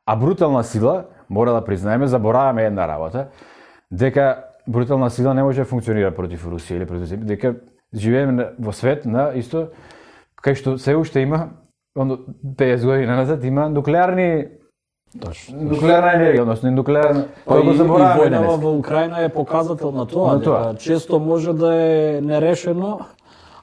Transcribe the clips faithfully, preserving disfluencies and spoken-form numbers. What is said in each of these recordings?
А брутална сила, мора да признаеме, забораваме една работа, дека брутална сила не може да функционира против Русија или против дека живееме во свет на исто кај што се уште има оно петдесет години назад има нуклеарни Точно. Нуклеарна енергија, односно нуклеарна. Па и, и војната во Украина е показател на тоа, на тоа. Дека често може да е нерешено,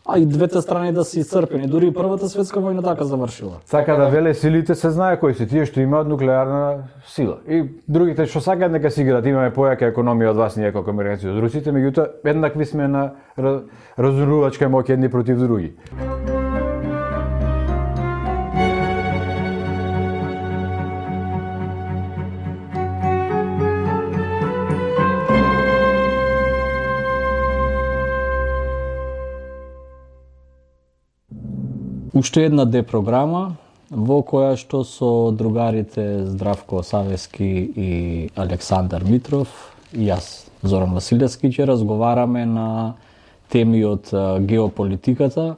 а и двете страни да се исцрпени. Дури и првата светска војна така завршила. Сака да веле силите се знае кои се тие што имаат нуклеарна сила. И другите што сакаат нека си играат, имаме појака економија од вас ние како американци од русите, меѓутоа еднакви сме на разорувачка моќ едни против други. Уште една депрограма во која што со другарите Здравко Савески и Александар Митров и јас, Зоран Василевски, ќе разговараме на теми од геополитиката,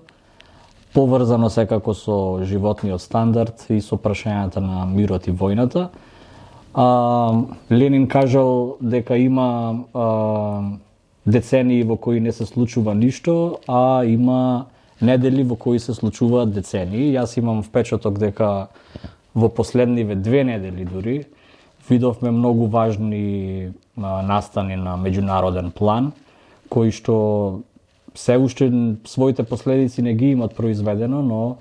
поврзано секако со животниот стандард и со прашањата на мирот и војната. А, Ленин кажал дека има а, децении во кои не се случува ништо, а има недели во кои се случуваат децении. Јас имам впечаток дека во последниве две недели дури видовме многу важни а, настани на меѓународен план, кои што се уште своите последици не ги имат произведено, но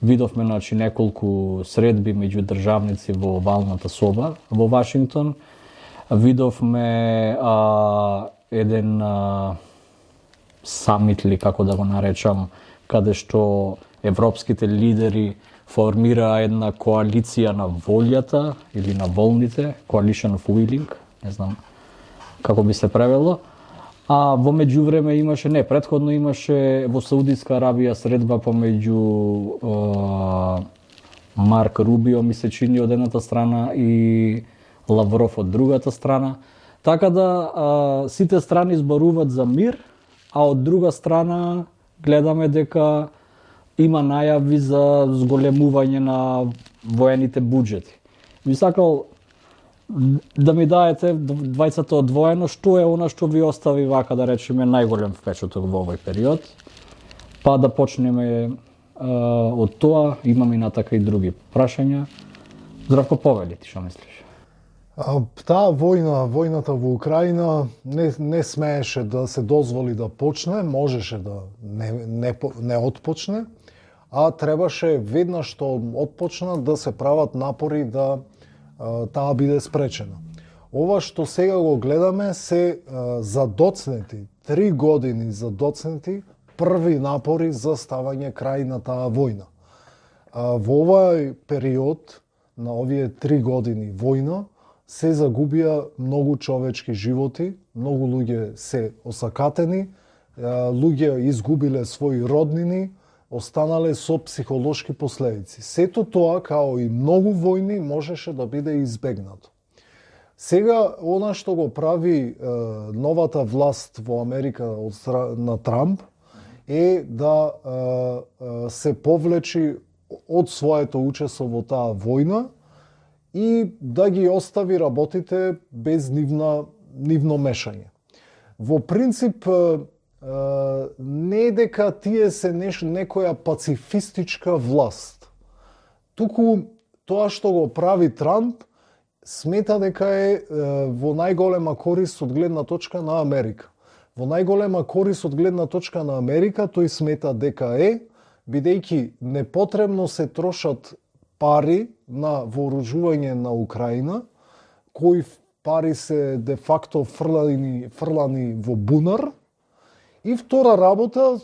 видовме значи неколку средби меѓу државници во овалната соба во Вашингтон. Видовме а, еден а, самит или како да го наречам, каде што европските лидери формираа една коалиција на волјата или на волните, Coalition of Willing, не знам како би се превело. А во меѓувреме имаше, не, претходно имаше во Саудитска Арабија средба помеѓу е, Марк Рубио, ми се чини, од едната страна и Лавров од другата страна. Така да е, сите страни зборуваат за мир, а од друга страна гледаме дека има најави за зголемување на воените буџети. Би сакал да ми даете двајцата одвоено, што е она што ви остави, вака да речеме, најголем впечаток во овој период, па да почнеме е, од тоа, имам и натака и други прашања. Здравко, повели ти, што мислиш? А, таа војна, војната во Украина не, не смееше да се дозволи да почне, можеше да не, не, не отпочне, а требаше веднаш што отпочна да се прават напори да а, таа биде спречена. Ова што сега го гледаме се а, задоцнети, три години задоцнети први напори за ставање крај на таа војна. А, во овој период, на овие три години војна, се загубија многу човечки животи, многу луѓе се осакатени, луѓе изгубиле своји роднини, останале со психолошки последици. Сето тоа, као и многу војни, можеше да биде избегнато. Сега, она што го прави е, новата власт во Америка од на Трамп е да е, е, се повлечи од своето учество во таа војна и да ги остави работите без нивна, нивно мешање. Во принцип, не е дека тие се неш, некоја пацифистичка власт. Туку тоа што го прави Трамп, смета дека е во најголема корист од гледна точка на Америка. Во најголема корист од гледна точка на Америка, тој смета дека е, бидејќи непотребно се трошат пари на вооружување на Украина, кои пари се де факто фрлани, фрлани во бунар. И втора работа,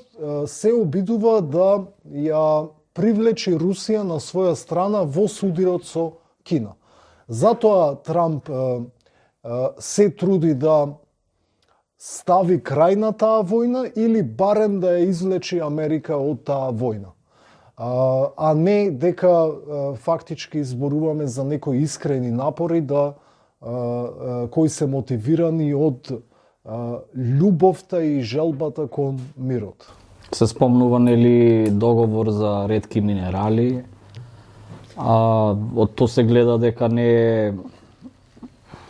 се обидува да ја привлечи Русија на своја страна во судирот со Кина. Затоа Трамп се труди да стави крај на таа војна или барем да ја извлечи Америка од таа војна. А, а не дека а, фактички изборуваме за некои искрени напори да а, а, кои се мотивирани од а, љубовта и желбата кон мирот. Се спомнува нели договор за ретки минерали? А од тоа се гледа дека не е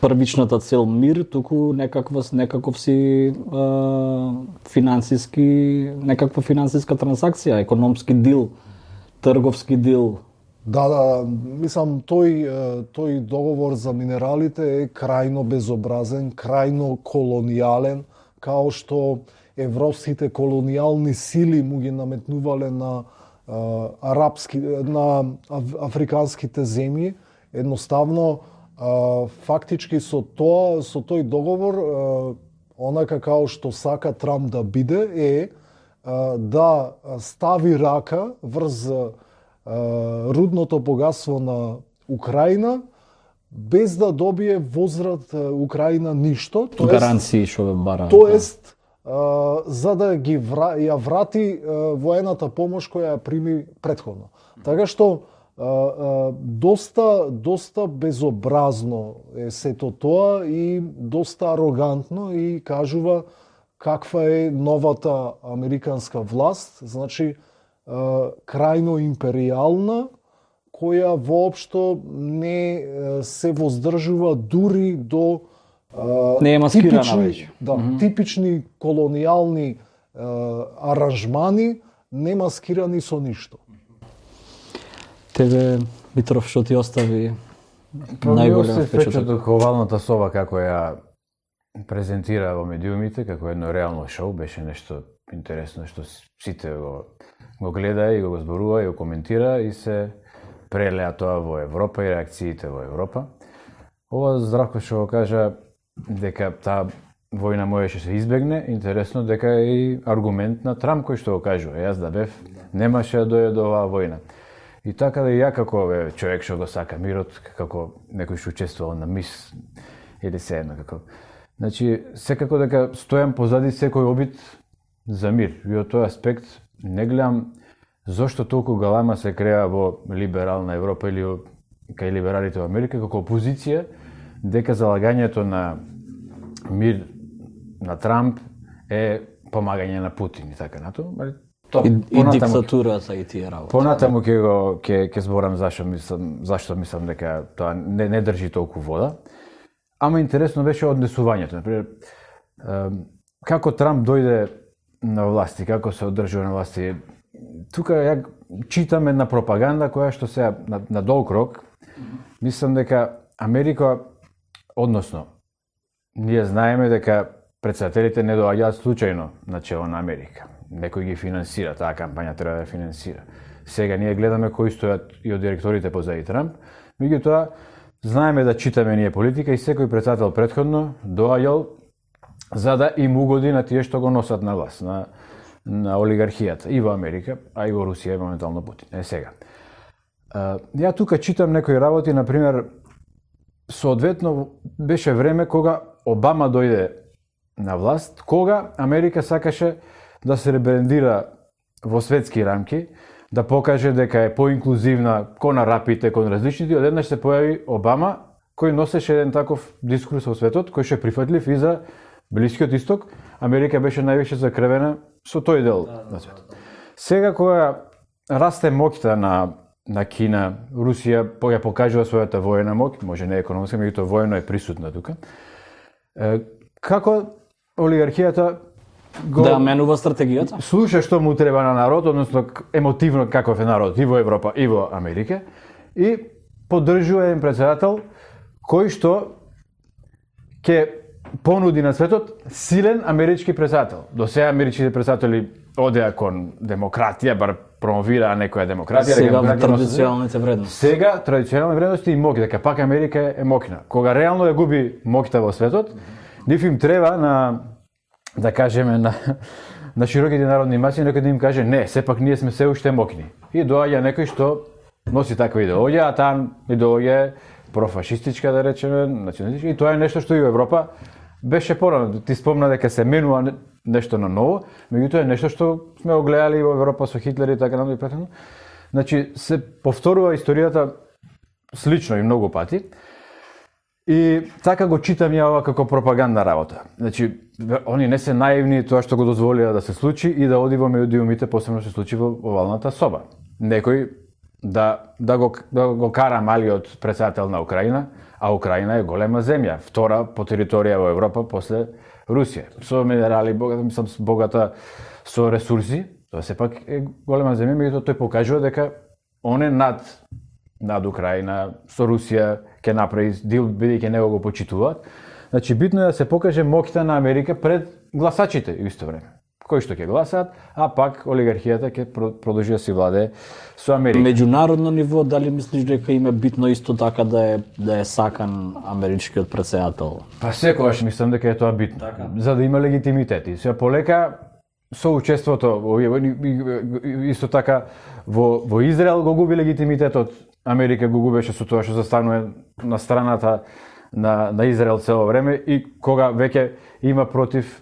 првичната цел мир, туку некаква некаков си а, финансиски, некаква финансиска трансакција, економски дил, трговски дил. Да, да, мислам тој тој договор за минералите е крајно безобразен, крајно колонијален, као што европските колонијални сили му ги наметнувале на а, арапски на аф, африканските земји. Едноставно а, фактички со тоа со тој договор а, онака као што сака Трамп да биде е а, да стави рака врз рудното богатство на Украина, без да добие возврат Украина ништо. Тоест, гаранции што бе бара. Тоест, а, за да ги вра, ја врати а, воената помош која ја прими претходно. Така што а, а, доста доста безобразно е сето тоа и доста арогантно и кажува каква е новата американска власт, значи крајно империјална, која воопшто не се воздржува дури до не е маскирана типични, веќе. Да, mm -hmm. типични колонијални аранжмани, не маскирани со ништо. Тебе, Митров, што ти остави најголем впечаток овалната соба како ја презентира во медиумите, како едно реално шоу, беше нешто интересно што сите го го гледа и го зборува и го коментира и се прелеа тоа во Европа и реакциите во Европа. Ова Здравко што го кажа дека таа војна можеше се избегне, интересно дека е и аргумент на Трамп кој што го кажува. Јас да бев, немаше да дојде до оваа војна. И така да и ја како бе, човек што го сака мирот, како некој што учествувал на мис или се едно како. Значи, секако дека стојам позади секој обид за мир. И од тој аспект не гледам зошто толку галама се креа во либерална Европа или кај либералите во Америка како опозиција, дека залагањето на мир на Трамп е помагање на Путин и така натаму. И, и диктатурата и тие работи. Понатаму ќе го ќе ќе зборам зашто мислам зашто мислам дека тоа не не држи толку вода. Ама интересно беше однесувањето, например, како Трамп дојде на власти, како се одржува на власти. Тука ја читам една пропаганда која што се на, на долг рок, мислам дека Америка, односно, ние знаеме дека претседателите не доаѓаат случајно на чело на Америка. Некој ги финансира, таа кампања треба да финансира. Сега ние гледаме кои стојат и од директорите позади Трамп, меѓутоа знаеме да читаме ние политика и секој претседател претходно доаѓал за да им угоди на тие што го носат на власт, на на олигархијата и во Америка, а и во Русија и моментално Путин. Е сега. Ја тука читам некои работи, на пример, соодветно беше време кога Обама дојде на власт, кога Америка сакаше да се ребрендира во светски рамки, да покаже дека е поинклузивна кон арапите, кон различните, одеднаш се појави Обама, кој носеше еден таков дискурс во светот, кој ше прифатлив и за Блискиот исток. Америка беше највише закрвена со тој дел на светот. Сега кога расте моќта на на Кина, Русија ја покажува својата војна моќ, може не економска, меѓутоа војно е присутна тука. Како олигархијата го да менува стратегијата? Слуша што му треба на народ, односно емотивно каков е народ и во Европа и во Америка, и поддржува еден претседател кој што ќе понуди на светот силен амерички претседател. До сега америчките претседатели одеа кон демократија, бар промовираа некоја демократија. Сега традиционалните вредности. Сега традиционални вредности и моќ, дека пак Америка е моќна. Кога реално ја губи моќта во светот, нив им треба на, да кажеме, на, на широките народни маси, некој да им каже, не, сепак ние сме се уште моќни. И доаѓа некој што носи таква идеологија, а таа идеологија е профашистичка, да речеме, националистичка, и тоа е нешто што и во Европа беше порано. Ти спомна дека се менува нешто на ново, меѓутоа е нешто што сме го гледали во Европа со Хитлер и така натаму и претходно. Значи се повторува историјата слично и многу пати. И така го читам ја ова како пропагандна работа. Значи они не се наивни тоа што го дозволија да се случи и да оди во медиумите, посебно се случи во овалната соба. Некој да да го да го кара малиот претседател на Украина, а Украина е голема земја, втора по територија во Европа после Русија. Со минерали, богата, мислам, богата со ресурси, тоа сепак е голема земја, меѓутоа тој покажува дека он е над над Украина, со Русија ќе направи дил, бидејќи него го почитуваат. Значи битно е да се покаже моќта на Америка пред гласачите во исто време, кои што ќе гласаат, а пак олигархијата ќе продолжи да си владее со Америка. Меѓународно ниво, дали мислиш дека им е битно исто така да е да е сакан америчкиот претседател? Па секогаш мислам дека е тоа битно, така, за да има легитимитет. И сега полека со учеството исто така во во Израел го губи легитимитетот. Америка го губеше со тоа што застанува на страната на на Израел цело време и кога веќе има против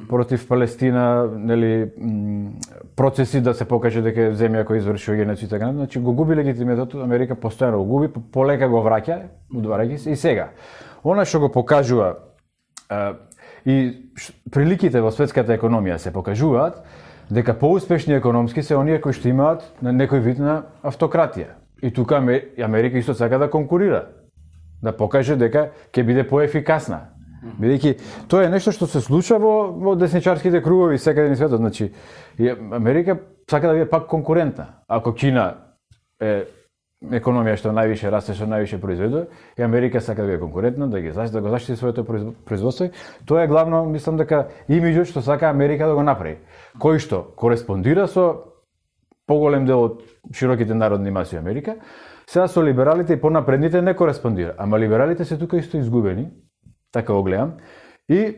против Палестина, нели, процеси да се покаже дека е земја која извршува геноцид, така, значи го губи легитимитетот, Америка постојано го губи, полека го враќа, удварајќи се и сега. Она што го покажува а, и приликите во светската економија се покажуваат дека поуспешни економски се оние кои што имаат на некој вид на автократија. И тука Америка исто сака да конкурира, да покаже дека ќе биде поефикасна. Бидејќи тоа е нешто што се случува во, во десничарските кругови секаде низ светот. Значи, Америка сака да биде пак конкурентна. Ако Кина е економија што највише расте, што највише произведува, и Америка сака да биде конкурентна, да ги защити, да го защити своето производство, тоа е главно, мислам дека имиџот што сака Америка да го направи, кој што кореспондира со поголем дел од широките народни маси Америка. Сега со либералите и понапредните не кореспондира, ама либералите се тука исто изгубени. Така го гледам. И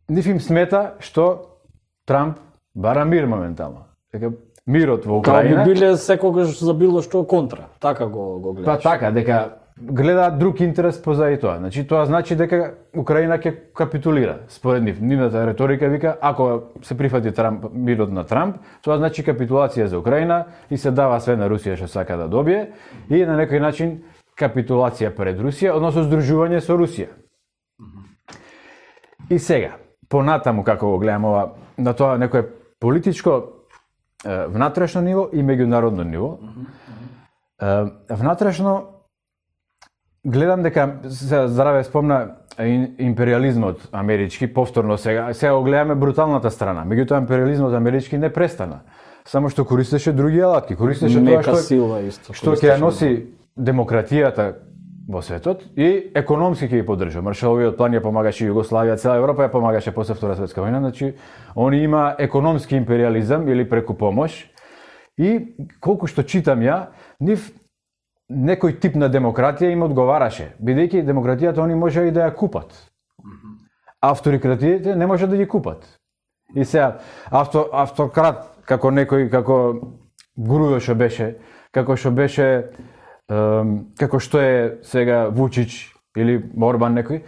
нив им смета што Трамп бара мир моментално. Дека мирот во Украина... Као би биле секогаш за било што контра. Така го, го гледаш. Па така, дека гледаат друг интерес позади тоа. Значи, тоа значи дека Украина ќе капитулира. Според нив, нивната реторика вика, ако се прифати Трамп, мирот на Трамп, тоа значи капитулација за Украина и се дава све на Русија што сака да добие и на некој начин капитулација пред Русија, односно здружување со Русија. И сега, понатаму како го гледам ова, на тоа некое политичко е, внатрешно ниво и меѓународно ниво. Е, внатрешно гледам дека се здраве спомна империализмот амерички повторно сега, сега го гледаме бруталната страна. Меѓутоа империализмот амерички не престана, само што користеше други алатки, користеше тоа што сила исто, што ќе носи демократијата во светот и економски ќе ги поддржа. Маршаловиот план ја помагаше Југославија, цела Европа ја помагаше после Втора светска војна, значи он има економски империализам или преку помош и колку што читам ја, нив некој тип на демократија им одговараше, бидејќи демократијата они може и да ја купат. Авторикратиите не може да ги купат. И сега авто, автократ како некој како Грујо што беше, како што беше како што е сега Вучич или Орбан некој,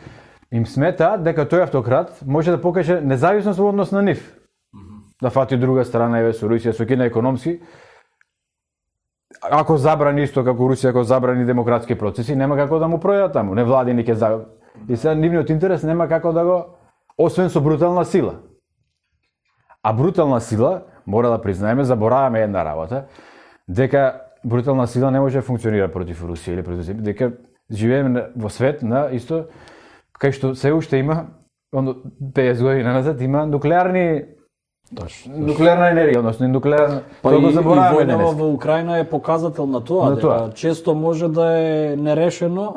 им смета дека тој автократ може да покаже независност во однос на нив. Да фати друга страна, еве со Русија, со Кина економски. Ако забрани исто како Русија, ако забрани демократски процеси, нема како да му пројдат таму. Невладини ќе за... И сега нивниот интерес нема како да го, освен со брутална сила. А брутална сила, мора да признаеме, забораваме една работа, дека брутална сила не може да функционира против Русија или против Земја, дека живееме во свет на исто кај што се уште има, оно петдесет години назад има нуклеарни Точно. Нуклеарна енергија, односно нуклеарна. Па тоа и, го забораваме и војнава денес. во Украина е показател на тоа, На тоа. дека често може да е нерешено,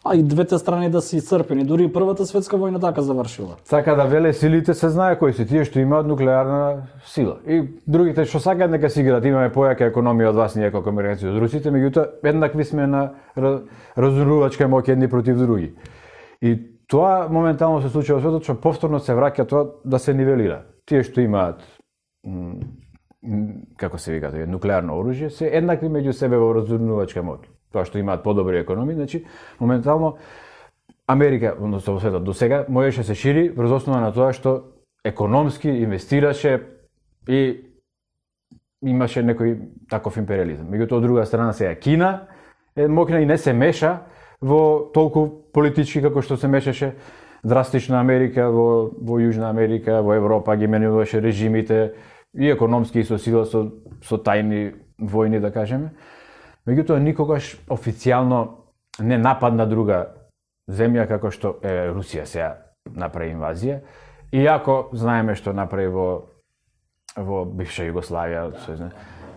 а и двете страни да се исцрпени. Дури и првата светска војна така завршила. Сака да веле силите се знае кои се тие што имаат нуклеарна сила. И другите што сакаат нека си играат, имаме појака економија од вас, ние како американци од русите, меѓутоа еднакви сме на разорувачка моќ едни против други. И тоа моментално се случува во светот, што повторно се враќа тоа да се нивелира. Тие што имаат м, м, како се вика, тоа нуклеарно оружје, се еднакви меѓу себе во разорувачка моќ. Тоа што имаат подобри економии, значи моментално Америка, односно во светот до сега можеше се шири врз основа на тоа што економски инвестираше и имаше некој таков империализам. Меѓутоа од друга страна сега Кина е моќна и не се меша во толку политички како што се мешаше драстично Америка во во Јужна Америка, во Европа ги менуваше режимите и економски и со сила, со со тајни војни да кажеме. меѓутоа никогаш официјално не нападна друга земја како што е Русија сега направи инвазија, иако знаеме што направи во во бивша Југославија, да.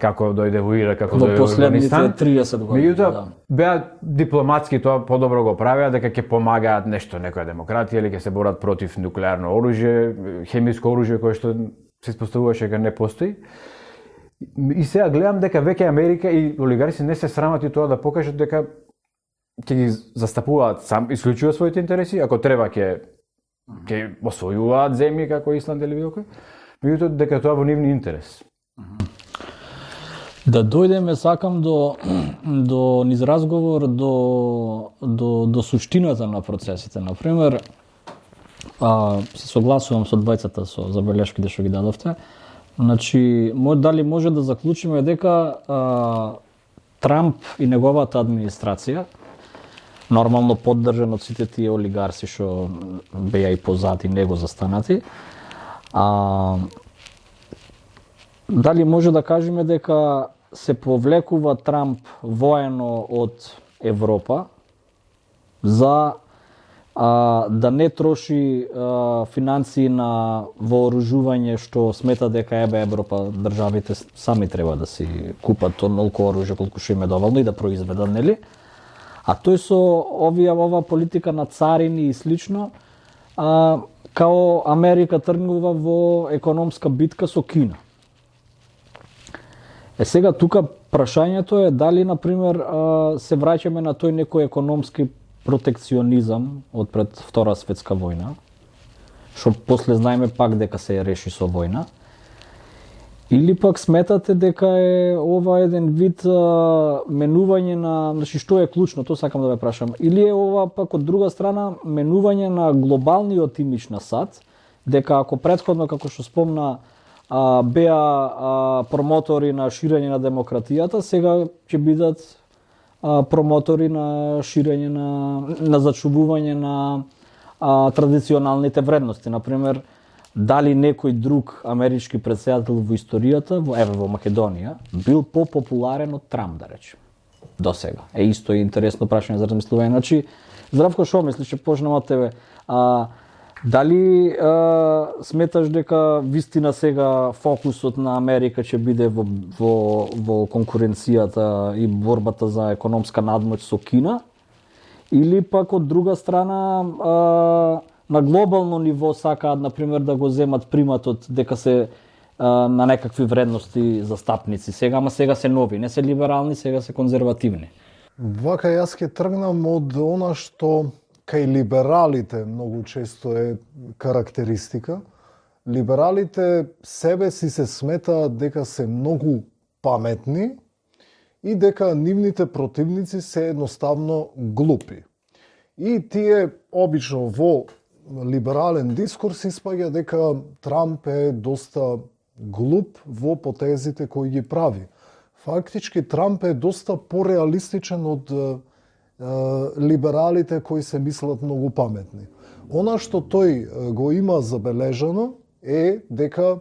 Како дојде во Ирак, како дојде во Афганистан. триесет години. Меѓутоа, да. беа дипломатски тоа подобро го правеа, дека ќе помагаат нешто, некоја демократија или ќе се борат против нуклеарно оружје, хемиско оружје кое што се испоставуваше дека не постои. И сега гледам дека веќе Америка и олигарси не се срамат и тоа да покажат дека ќе ги застапуваат сам исклучува своите интереси, ако треба ќе ќе освојуваат земји како Исланд или било кој. Меѓутоа дека тоа во нивни интерес. Да дојдеме, сакам до до низ разговор до до до суштината на процесите. На пример, а, се согласувам со двајцата со забелешките што ги дадовте. Значи, дали може да заклучиме дека а, Трамп и неговата администрација, нормално поддржан од сите тие олигарси што беа и позади него застанати, а, дали може да кажеме дека се повлекува Трамп воено од Европа за а, да не троши а, финансии на вооружување што смета дека ебе Европа државите сами треба да си купат онолку оружје колку што им е доволно и да произведат, нели? А тој со овие ова политика на царини и слично, а, као Америка тргнува во економска битка со Кина. Е сега тука прашањето е дали на пример се враќаме на тој некој економски протекционизам од пред Втора светска војна, што после знаеме пак дека се реши со војна, или пак сметате дека е ова еден вид а, менување на, значи што е клучно, тоа сакам да ве прашам, или е ова пак од друга страна менување на глобалниот имидж на САД, дека ако претходно како што спомна а, беа а, промотори на ширење на демократијата, сега ќе бидат а, промотори на ширење на на зачувување на а, традиционалните вредности, на пример дали некој друг амерички претседател во историјата, во еве во Македонија, бил попопуларен од Трамп, да речем, до сега. Е исто и интересно прашање за размислување. Значи, Здравко, шо мислиш, ќе почнем од тебе? А, дали а, сметаш дека вистина сега фокусот на Америка ќе биде во, во, во конкуренцијата и борбата за економска надмоќ со Кина? Или пак од друга страна а, на глобално ниво сакаат, например, да го земат приматот дека се а, на некакви вредности застапници. Сега, ама сега се нови, не се либерални, сега се конзервативни. Вака јас ќе тргнам од она што кај либералите многу често е карактеристика. Либералите себе си се сметаат дека се многу паметни и дека нивните противници се едноставно глупи. И тие обично во либерален дискурс испаѓа дека Трамп е доста глуп во потезите кои ги прави. Фактички Трамп е доста пореалистичен од е, либералите кои се мислат многу паметни. Она што тој го има забележано е дека е,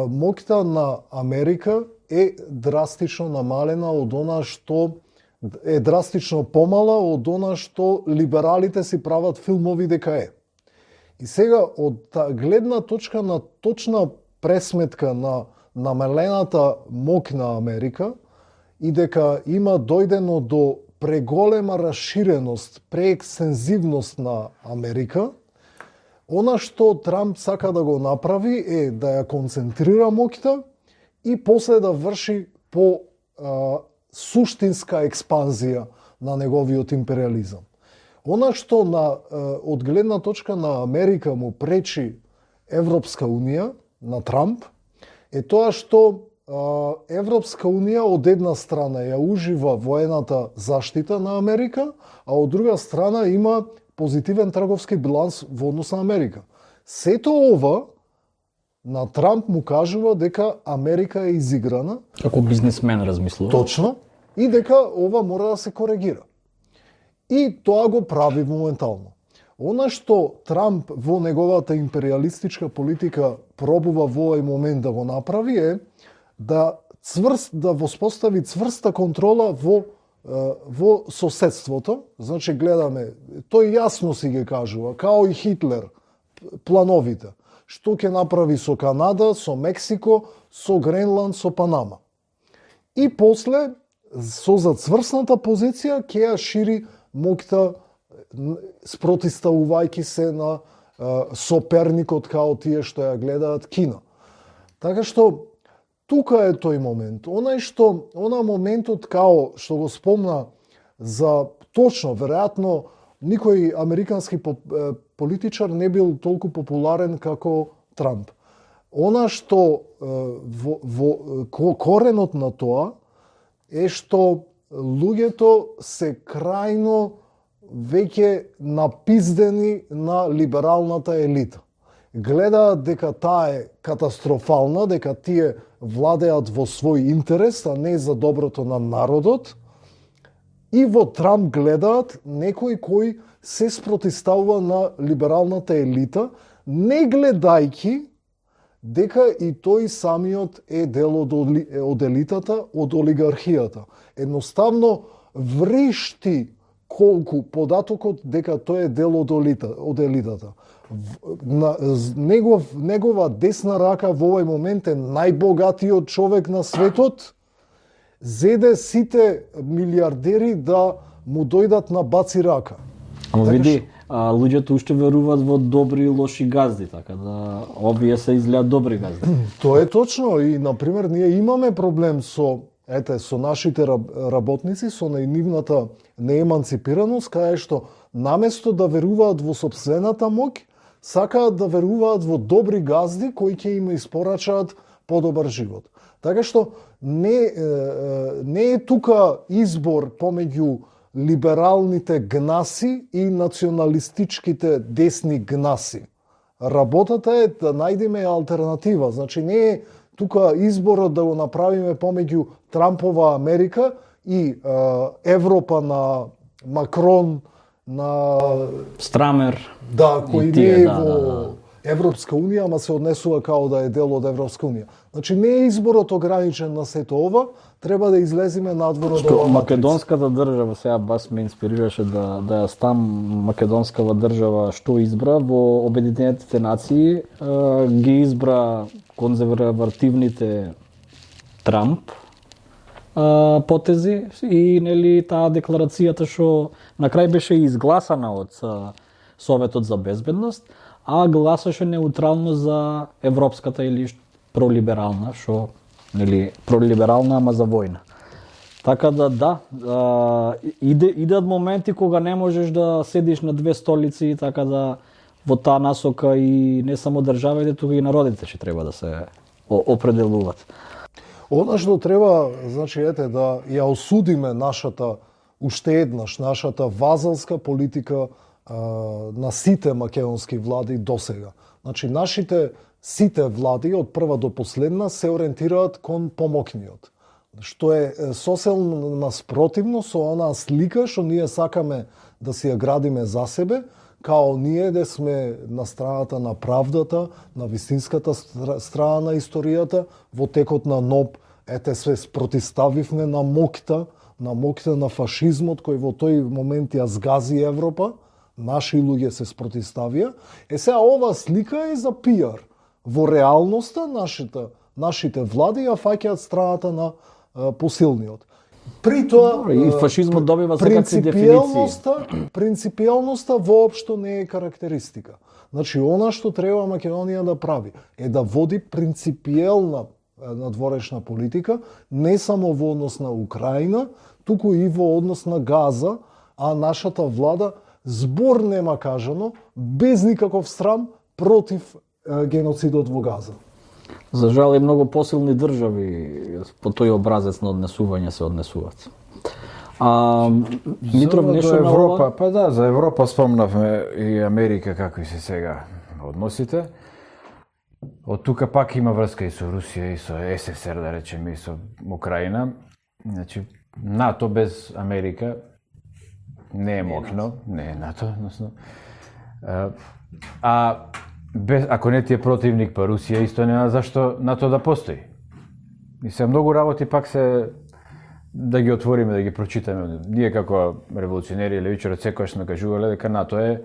моќта на Америка е драстично намалена од она што е драстично помала од она што либералите си прават филмови дека е. И сега, од та гледна точка на точна пресметка на намалената моќ на Америка и дека има дојдено до преголема расширеност, преекстензивност на Америка, она што Трамп сака да го направи е да ја концентрира моќта и после да врши по а, суштинска експанзија на неговиот империализам. Она што на, од гледна точка на Америка му пречи Европска Унија, на Трамп, е тоа што Европска Унија од една страна ја ужива воената заштита на Америка, а од друга страна има позитивен трговски биланс во однос на Америка. Сето ова на Трамп му кажува дека Америка е изиграна. Како бизнисмен размислува. Точно. И дека ова мора да се коригира. И тоа го прави моментално. Она што Трамп во неговата империалистичка политика пробува во овој момент да го направи е да цврст да воспостави цврста контрола во во соседството. Значи гледаме, тој јасно си ги кажува, као и Хитлер, плановите. Што ќе направи со Канада, со Мексико, со Гренланд, со Панама. И после, со зацврсната позиција, ќе ја шири моќта, спротиставувајќи се на соперникот као тие што ја гледаат Кина. Така што, тука е тој момент. Онај што, она моментот као што го спомна за точно, веројатно, никој американски политичар не бил толку популарен како Трамп. Она што во, во коренот на тоа е што луѓето се крајно веќе напиздени на либералната елита. Гледаат дека таа е катастрофална, дека тие владеат во свој интерес, а не за доброто на народот. И во Трамп гледаат некој кој се спротиставува на либералната елита, не гледајќи дека и тој самиот е дел од, од елитата, од олигархијата. Едноставно вришти колку податокот дека тој е дел од, олита, од елитата. На, негов, негова десна рака во овој момент е најбогатиот човек на светот, зеде сите милиардери да му дојдат на баци рака. Ама види, а, луѓето уште веруваат во добри и лоши газди, така да овие се изгледаат добри газди. Тоа е точно и, например, ние имаме проблем со, ете, со нашите работници, со нивната нееманципираност, кај што наместо да веруваат во сопствената моќ, сакаат да веруваат во добри газди кои ќе им испорачаат подобар живот. Така што не, не е тука избор помеѓу либералните гнаси и националистичките десни гнаси. Работата е да најдеме алтернатива. Значи не е тука изборот да го направиме помеѓу Трампова Америка и е, Европа на Макрон, на Страмер. Да, кој тие, не е да, во да, да. Европска унија, ама се однесува као да е дел од Европска унија. Значи не е изборот ограничен на сето ова, треба да излеземе надвор од ова. Македонската држава, сега бас ме инспирираше да да ја стам македонската држава што избра во Обединетите нации, ги избра конзервативните Трамп потези и нели таа декларацијата што на крај беше изгласана од Советот за безбедност, а гласаше неутрално за европската или пролиберална, што нели пролиберална, ама за војна. Така да да, а, иде идат моменти кога не можеш да седиш на две столици, така да во таа насока и не само државите, туку и народите ќе треба да се определуваат. Она што треба, значи ете да ја осудиме нашата уште еднаш нашата вазалска политика а, на сите македонски влади досега. Значи нашите сите влади од прва до последна се ориентираат кон помокниот. Што е сосем наспротивно со онаа слика што ние сакаме да си ја градиме за себе, као ние да сме на страната на правдата, на вистинската страна на историјата, во текот на НОБ, ете се спротиставивме на моќта, на моќта на фашизмот кој во тој момент ја згази Европа, наши луѓе се спротиставија. Е сега ова слика е за пиар. Во реалноста нашите нашите влади ја фаќаат страната на а, посилниот. При тоа и фашизмот добива секакви дефиниции. Принципиелноста, принципиелноста воопшто не е карактеристика. Значи она што треба Македонија да прави е да води принципиелна надворешна политика, не само во однос на Украина, туку и во однос на Газа, а нашата влада збор нема кажано, без никаков срам против е, геноцидот во Газа. За жал и многу посилни држави по тој образец на однесување се однесуваат. А Митров за, нешто за на Европа, ова? па да, за Европа спомнавме и Америка какви се сега односите. Од тука пак има врска и со Русија и со СССР, да речеме, и со Украина. Значи, НАТО без Америка не е моќно, не е НАТО, односно. А без, ако не ти е противник па Русија, исто нема зашто НАТО да постои. И се многу работи пак се да ги отвориме, да ги прочитаме. Ние како револуционери и левичари секогаш сме кажувале дека НАТО е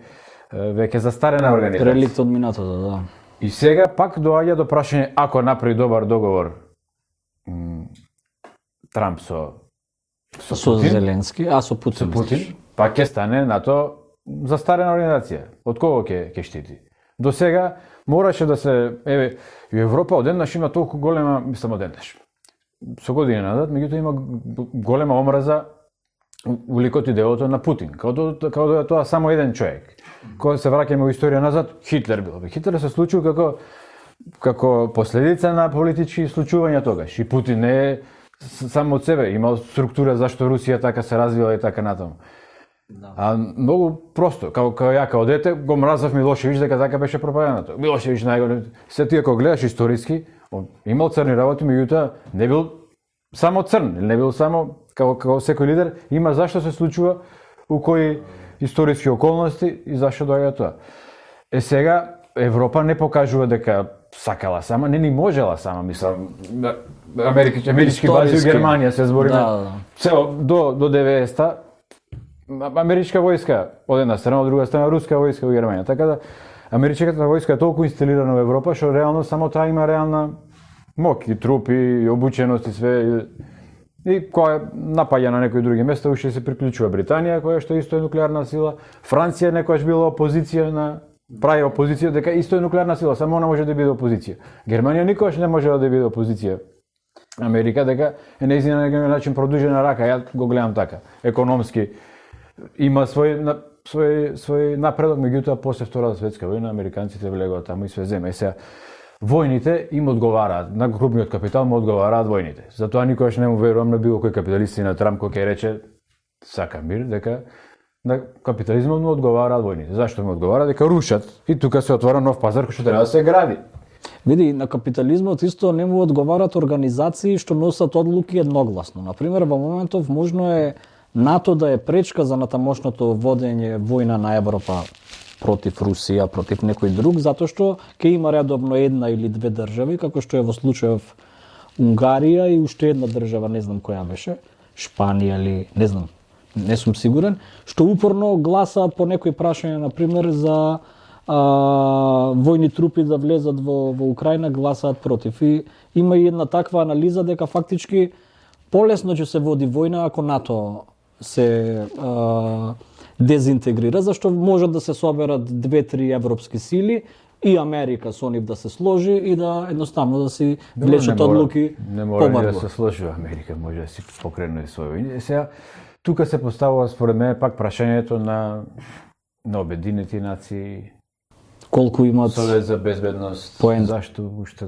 веќе застарена организација. Реликт од минатото, да. И сега пак доаѓа до прашање, ако направи добар договор м, Трамп со со, со Зеленски, а со Путин. Со Путин, пак ќе стане НАТО застарена организација. Од кого ќе ќе штити? До сега мораше да се, еве, и Европа одеднаш има толку голема, мислам одеднаш. Со години назад, меѓутоа има голема омраза у ликот и делото на Путин. Као да, као да е тоа само еден човек. Кога се враќаме во историја назад, Хитлер бил. Хитлер се случил како како последица на политички случувања тогаш. И Путин не е само од себе, имал структура зашто Русија така се развила и така натаму. Да. А многу просто, како како ја како дете го мразав Милошевиќ дека така беше пропагандата. Милошевиќ најголем. Се ти ако гледаш историски, он имал црни работи, меѓутоа не бил само црн, не бил само како како секој лидер, има зашто се случува у кои историски околности и зашто доаѓа тоа. Е сега Европа не покажува дека сакала сама, не ни можела сама, мислам. Америка, амерички бази во Германија се збориме. Да, да. Цело до до деветдесета америчка војска од една страна, од друга страна руска војска во Германија. Така да америчката војска е толку инсталирана во Европа што реално само таа има реална моќ и трупи и обученост и све. И која напаѓа на некои други места, уште се приклучува Британија, која што исто е нуклеарна сила. Франција некогаш била опозиција на прави опозиција дека исто е нуклеарна сила, само она може да биде опозиција. Германија никогаш не може да биде опозиција. Америка дека е нејзина на некој начин продужена рака, ја го гледам така. Економски има свој на, свој свој напредок, меѓутоа после Втората светска војна американците влегоа таму и све земе. И сега војните им одговараат, на крупниот капитал му одговараат војните. Затоа никогаш не му верувам на било кој капиталист на Трамп кој ќе рече сака мир, дека на капитализмот му одговараат војните. Зашто му одговараат? Дека рушат и тука се отвора нов пазар кој што треба да се гради. Види, на капитализмот исто не му одговараат организации што носат одлуки едногласно. Например, во моментов можно е НАТО да е пречка за натамошното водење војна на Европа против Русија, против некој друг, затоа што ќе има редовно една или две држави, како што е во случајов Унгарија и уште една држава, не знам која беше, Шпанија или не знам, не сум сигурен, што упорно гласаат по некои прашања, например, за а, војни трупи да влезат во, во Украина, гласаат против. И има и една таква анализа дека фактички полесно ќе се води војна ако НАТО се а, дезинтегрира, зашто можат да се соберат две-три европски сили и Америка со нив да се сложи и да едноставно да си влечат одлуки побарзо. Не мора да се сложи Америка, може да си покрене свој. Сега тука се поставува според мене пак прашањето на на Обединети нации, колку имат Совет за безбедност, поент. Зашто уште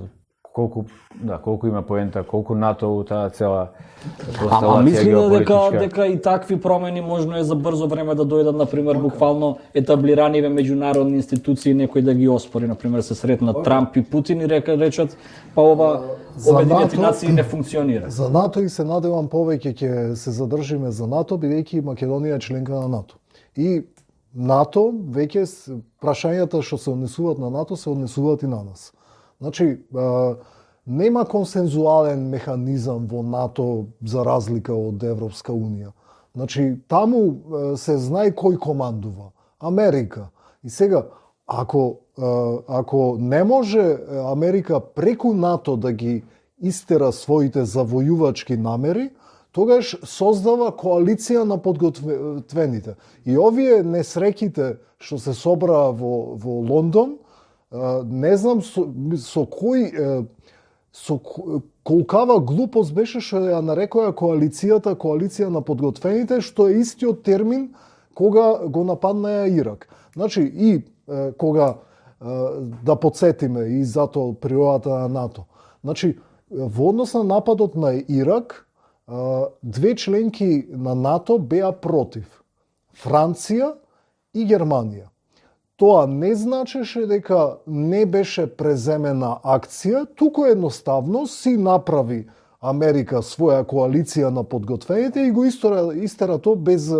колку да колку има поента, колку НАТО у таа цела констелација. А мисли дека дека и такви промени можно е за брзо време да дојдат, например, буквално етаблираниве меѓународни институции, некој да ги оспори, например, се сретнат Трамп и Путин и река речат па ова Обединети нации не функционира. За НАТО и се надевам повеќе ќе се задржиме за НАТО, бидејќи Македонија е членка на НАТО. И НАТО веќе прашањата што се однесуваат на НАТО се однесуваат и на нас. Значи, а, нема консензуален механизам во НАТО за разлика од Европска Унија. Значи, таму а, се знае кој командува. Америка. И сега, ако, а, ако не може Америка преку НАТО да ги истера своите завојувачки намери, тогаш создава коалиција на подготвените. И овие несреќите што се собраа во, во Лондон, не знам со, со кој со колкава глупост беше што ја нарекоа коалицијата коалиција на подготвените, што е истиот термин кога го нападнаа Ирак. Значи и кога да подсетиме и затоа природата на НАТО. Значи во однос на нападот на Ирак, две членки на НАТО беа против. Франција и Германија. Тоа не значеше дека не беше преземена акција, туку едноставно си направи Америка своја коалиција на подготвените и го истера, истера тоа без,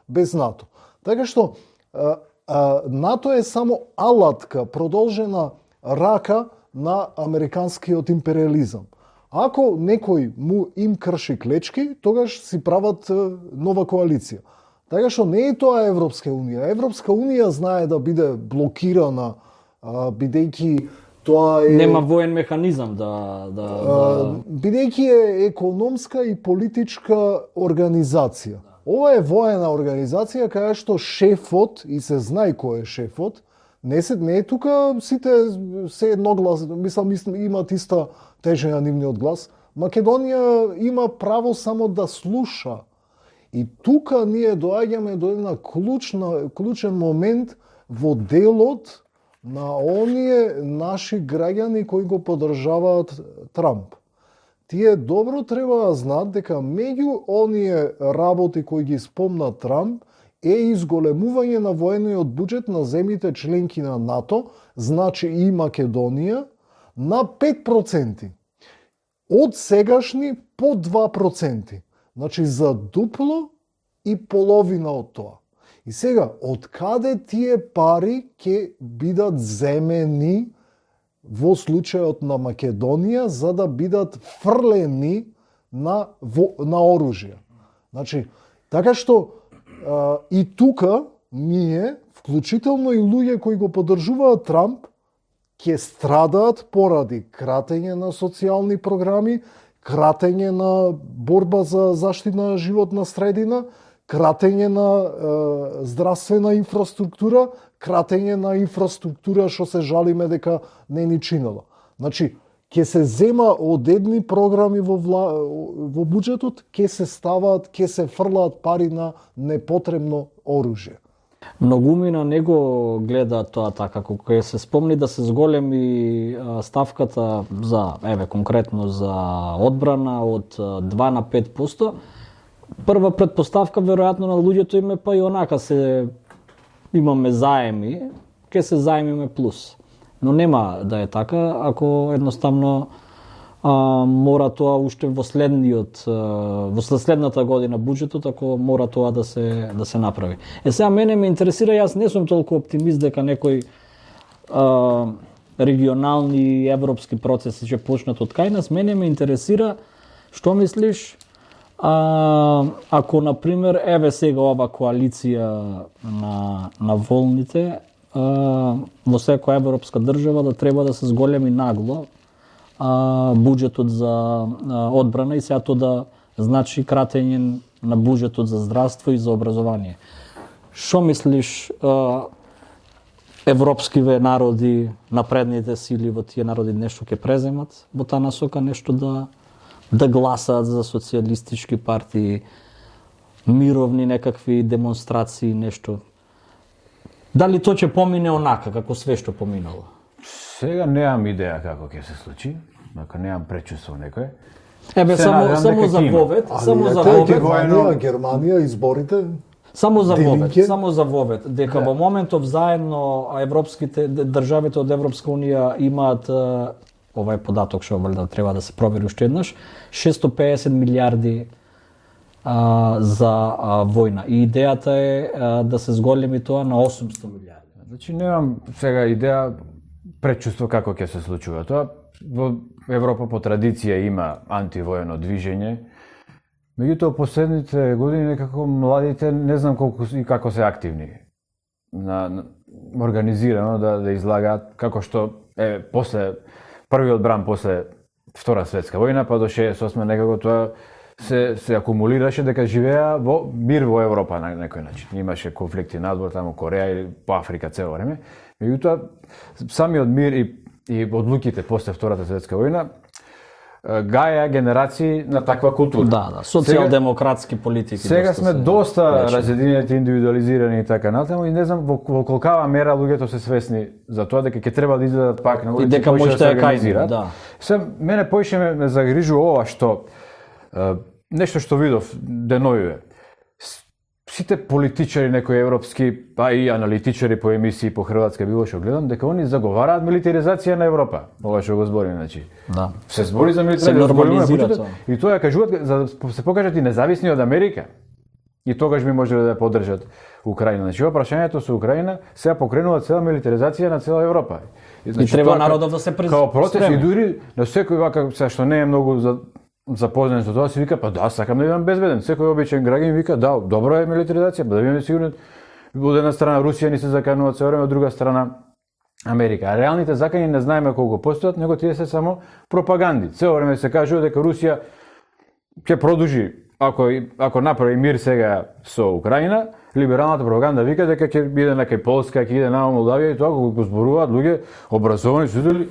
без НАТО. Така што а, а, НАТО е само алатка, продолжена рака на американскиот империализам. Ако некој му им крши клечки, тогаш си прават нова коалиција. Така што не е тоа Европска унија. Европска унија знае да биде блокирана, бидејќи тоа е... Нема воен механизам да... да, да... Бидејќи е економска и политичка организација. Ова е воена организација каја што шефот, и се знае кој е шефот, не се не е тука сите се едноглас, мислам, имаат иста тежина нивниот глас. Македонија има право само да слуша. И тука ние доаѓаме до една клучна, клучен момент во делот на оние наши граѓани кои го поддржаваат Трамп. Тие добро треба да знаат дека меѓу оние работи кои ги спомна Трамп е изголемување на воениот буџет на земјите членки на НАТО, значи и Македонија, на пет проценти. Од сегашни по два проценти. Значи за дупло и половина од тоа. И сега, од каде тие пари ќе бидат земени во случајот на Македонија за да бидат фрлени на, на оружје? Значи, така што а, и тука ние, вклучително и луѓе кои го поддржуваат Трамп, ќе страдаат поради кратење на социјални програми, кратење на борба за заштита на животна средина, кратење на е, здравствена инфраструктура, кратење на инфраструктура што се жалиме дека не ни чинела. Значи, ќе се зема од едни програми во, вла, во буџетот, ќе се ставаат, ќе се фрлаат пари на непотребно оружје. Многумина не го гледа тоа така, кога се спомни да се зголеми ставката за, еве конкретно за одбрана од два на пет проценти, прва предпоставка веројатно на луѓето им е па и онака се имаме заеми, ќе се заемиме плюс. Но нема да е така, ако едноставно а, мора тоа уште во следниот во следната година буџетот, ако мора тоа да се да се направи. Е сега мене ме интересира, јас не сум толку оптимист дека некој а, регионални европски процеси ќе почнат од кај нас. Мене ме интересира што мислиш а, ако на пример еве сега ова коалиција на на волните а, во секоја европска држава да треба да се зголеми нагло а, буџетот за а, одбрана и сега тоа да значи кратење на буџетот за здравство и за образование. Што мислиш, а, европскиве народи, напредните сили во тие народи нешто ќе преземат во таа насока, нешто да да гласаат за социјалистички партии, мировни некакви демонстрации, нешто? Дали тоа ќе помине онака како све што поминало? Сега немам идеја како ќе се случи, ако немам пречувство некој. Ебе, само, само за вовет, само за вовет. Германија, Германија, изборите. Само за вовет, само за вовет, дека во моментов заедно европските државите од Европска унија имаат, ова е податок што валјда треба да се провери уште еднаш, шесто педесет милиарди а, за а, војна. И идејата е а, да се зголеми тоа на осумсто милиарди. Значи немам сега идеја, пречувство како ќе се случува тоа. Во Европа по традиција има антивоено движење. Меѓутоа последните години некако младите не знам колку и како се активни на, на организирано да да излагаат, како што е после првиот бран после Втора светска војна па до шеесет и осма некако тоа се се акумулираше дека живеа во мир во Европа на некој начин. Имаше конфликти надвор таму Кореја или по Африка цело време. Меѓутоа самиот мир и и одлуките после Втората светска војна гаја генерации на таква култура. Да, да, социјалдемократски политики. Сега сме доста разединети, индивидуализирани и така натаму и не знам во, во колкава мера луѓето се свесни за тоа дека ќе треба да излезат пак на улица и дека може да организираат. Да. Се мене поише ме, ме загрижува ова што е, нешто што видов деновиве. Сите политичари некои европски, па и аналитичари по емисии по хрватска било што гледам, дека они заговараат милитаризација на Европа. Ова што го збори, значи. Да. Се збори за милитаризација, се нормализира тоа. И тоа ја кажуваат за да се покажат и независни од Америка. и тогаш би можеле да подржат Украина. Значи, прашањето со Украина сега покренува цела милитаризација на цела Европа. Значи, и треба народот да се присутства. Као протест и дури на секој вака, сега што не е многу за запознат со тоа, си вика, па да, сакам да бидам безбеден. Секој обичен граѓанин вика, да, добро е милитаризација, да бидеме сигурни. Од една страна Русија ни се заканува цело време, од друга страна Америка. А реалните закани не знаеме колку постојат, него тие се само пропаганди. Цело време се кажува дека Русија ќе продолжи, ако ако направи мир сега со Украина, либералната пропаганда вика дека ќе биде на кај Полска, ќе иде на Молдавија и тоа кога го зборуваат луѓе образовани студенти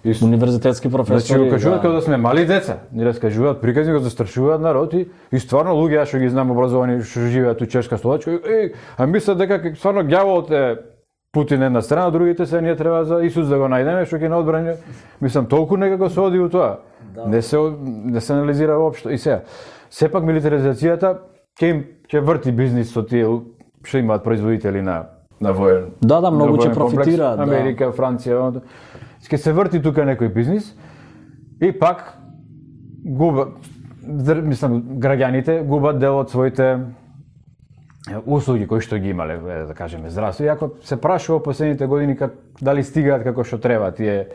и универзитетски професори. Значи, кажуваат како да сме мали деца. Ни раскажуваат приказни, го застрашуваат народ и, и стварно луѓе, што ги знам образовани, што живеат у Чешка, Словачка, е, а мислат дека стварно ѓаволот е Путин една страна, другите се ние треба за Исус да го најдеме, што ќе наодбрани. Мислам, толку некако се оди у тоа. Да. Не се не се анализира воопшто. И сега, сепак милитаризацијата ќе им ќе врти бизнис со тие што имаат производители на на воен. Да, да, многу ќе профитираат. Америка, да. Франција, ќе се врти тука некој бизнис и пак губа, мислам, граѓаните губат дел од своите услуги кои што ги имале, да кажеме, здравство. И ако се прашува последните години как дали стигаат како што треба тие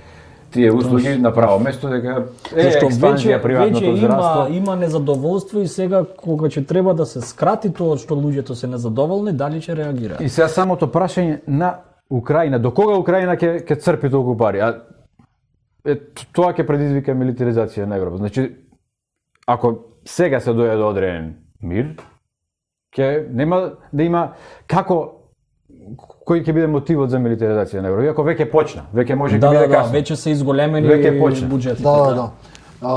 тие услуги на право место, дека е експанзија приватното здравство. Има има незадоволство и сега кога ќе треба да се скрати тоа што луѓето се незадоволни, дали ќе реагираат. И сега самото прашање на Украина, до кога Украина ќе ќе црпи толку пари? А е, тоа ќе предизвика милитаризација на Европа. Значи, ако сега се дојде до одреден мир, ќе нема да има како кој ќе биде мотивот за милитаризација на Европа. Иако веќе почна, веќе може да, ќе биде да, касно. Да, веќе се изголемени буџетите. Да, да. да. А,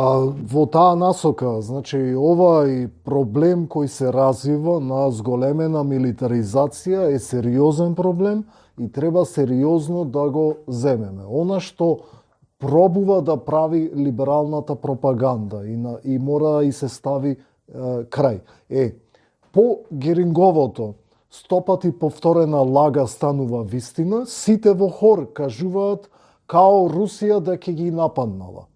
во таа насока, значи овај проблем кој се развива на зголемена милитаризација е сериозен проблем и треба сериозно да го земеме. Она што пробува да прави либералната пропаганда и, на, и мора и се стави е, крај. Е, по Геринговото стопати повторена лага станува вистина, сите во хор кажуваат као Русија да ќе ги нападнала.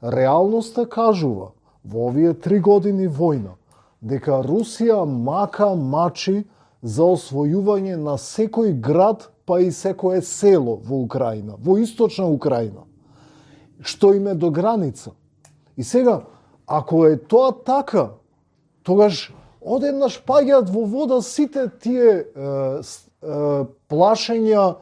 Реалноста кажува во овие три години војна дека Русија мака мачи за освојување на секој град па и секое село во Украина, во источна Украина, што им е до граница. И сега, ако е тоа така, тогаш одеднаш паѓаат во вода сите тие е, е, плашења е,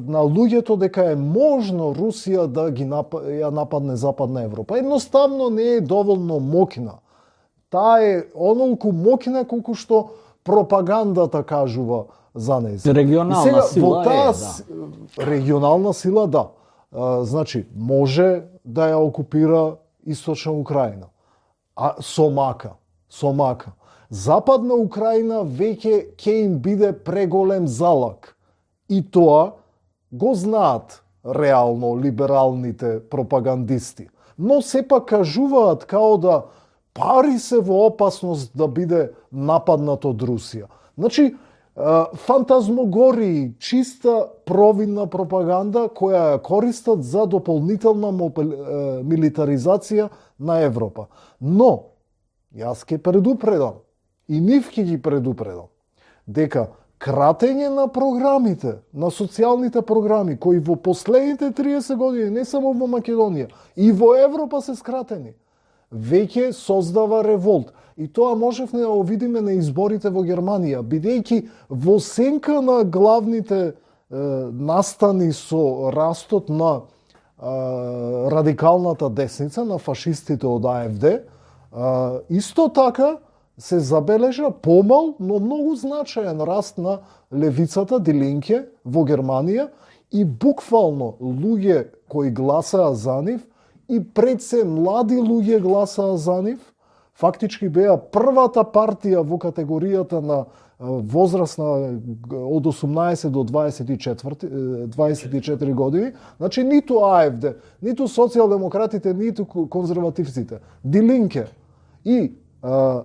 на луѓето дека е можно Русија да ги нап... ја нападне Западна Европа. Едноставно не е доволно мокна. Таа е онолку мокна колку што пропагандата кажува за неја. Регионална сега, сила таа, е, да. Регионална сила, да. А, значи, може да ја окупира Источна Украина. А со мака. Со мака. Западна Украина веќе ќе им биде преголем залак. И тоа го знаат реално либералните пропагандисти. Но сепак кажуваат као да пари се во опасност да биде нападнат од Русија. Значи, фантазмогории, чиста провидна пропаганда која ја користат за дополнителна милитаризација на Европа. Но, јас ке предупредам, и нив ке ги предупредам, дека кратење на програмите, на социјалните програми, кои во последните триесет години, не само во Македонија, и во Европа се скратени, веќе создава револт. И тоа можевме да го видиме на изборите во Германија, бидејќи во сенка на главните е, настани со растот на е, радикалната десница, на фашистите од А Ф Д, е, исто така се забележа помал, но многу значаен раст на левицата Die Linke во Германија и буквално луѓе кои гласаа за нив и пред се млади луѓе гласаа за нив, фактички беа првата партија во категоријата на возраст на од осумнаесет до дваесет и четири, дваесет и четири години, значи ниту А Ф Д, ниту социјалдемократите, ниту конзервативците, Die Linke. И а,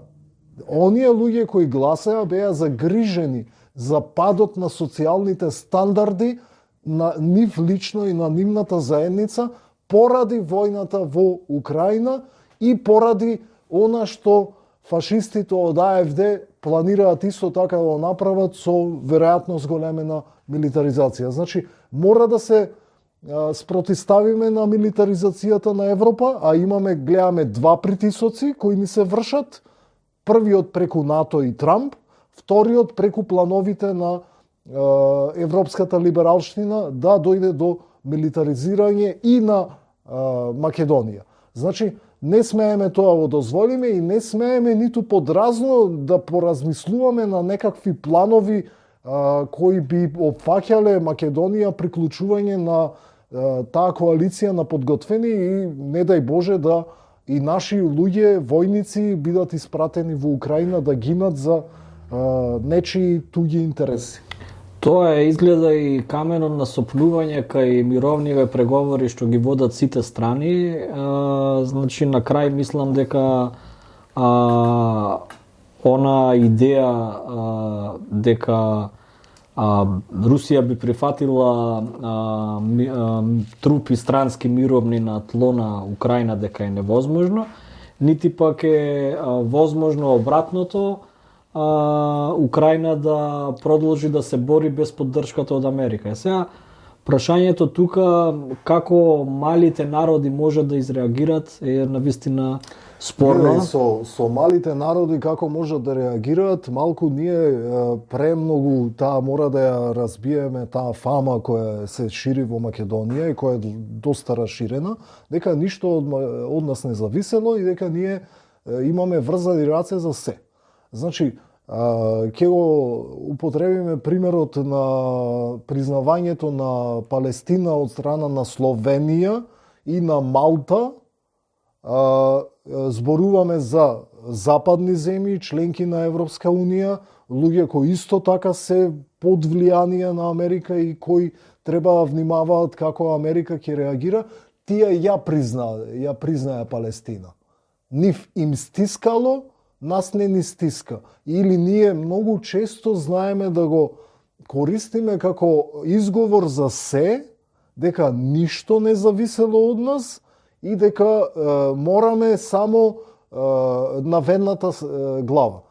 оние луѓе кои гласаа беа загрижени за падот на социјалните стандарди на нив лично и на нивната заедница поради војната во Украина и поради она што фашистите од А Ф Д планираат исто така да направат со веројатно зголемена милитаризација. Значи, мора да се а, спротиставиме на милитаризацијата на Европа, а имаме, гледаме два притисоци кои ни се вршат. Првиот преку НАТО и Трамп, вториот преку плановите на а, европската либералштина да дојде до милитаризирање и на а, Македонија. Значи, не смееме тоа го дозволиме и не смееме ниту подразно да поразмислуваме на некакви планови а, кои би опфаќале Македонија приклучување на а, таа коалиција на подготвени и не дај Боже да и наши луѓе, војници бидат испратени во Украина да гинат за а, нечии туѓи интереси. Тоа е изгледа и каменот на сопнување кај мировниве преговори што ги водат сите страни. А, значи, на крај мислам дека а, она идеја а, дека а, Русија би прифатила а, ми, а, трупи странски мировни на тло на Украина дека е невозможно, нити пак е а, возможно обратното, а, Украина да продолжи да се бори без поддршката од Америка. Е сега, прашањето тука како малите народи можат да изреагират е навистина спорно. Не, со, со малите народи како можат да реагираат, малку ние премногу таа мора да ја разбиеме таа фама која се шири во Македонија и која е доста расширена, дека ништо од, од нас не зависело и дека ние имаме врзани раце за се. Значи, ќе го употребиме примерот на признавањето на Палестина од страна на Словенија и на Малта. Зборуваме за западни земји, членки на Европска Унија, луѓе кои исто така се под влијание на Америка и кои треба да внимаваат како Америка ќе реагира. Тие ја призна, ја признаја Палестина. Нив им стискало, нас не ни стиска. Или ние многу често знаеме да го користиме како изговор за се, дека ништо не зависело од нас и дека е, мораме само е, на ведната е, глава.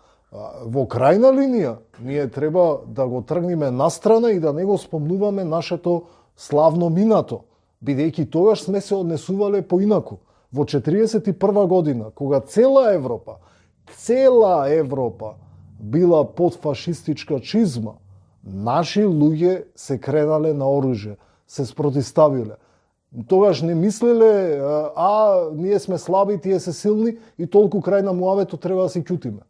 Во крајна линија, ние треба да го тргнеме настрана и да не го спомнуваме нашето славно минато, бидејќи тогаш сме се однесувале поинаку. Во четириесет и прва година, кога цела Европа Цела Европа била под фашистичка чизма, наши луѓе се кренале на оружје, се спротиставиле. Тогаш не мислеле, а ние сме слаби, тие се силни и толку крај на муавето треба да се ќутиме.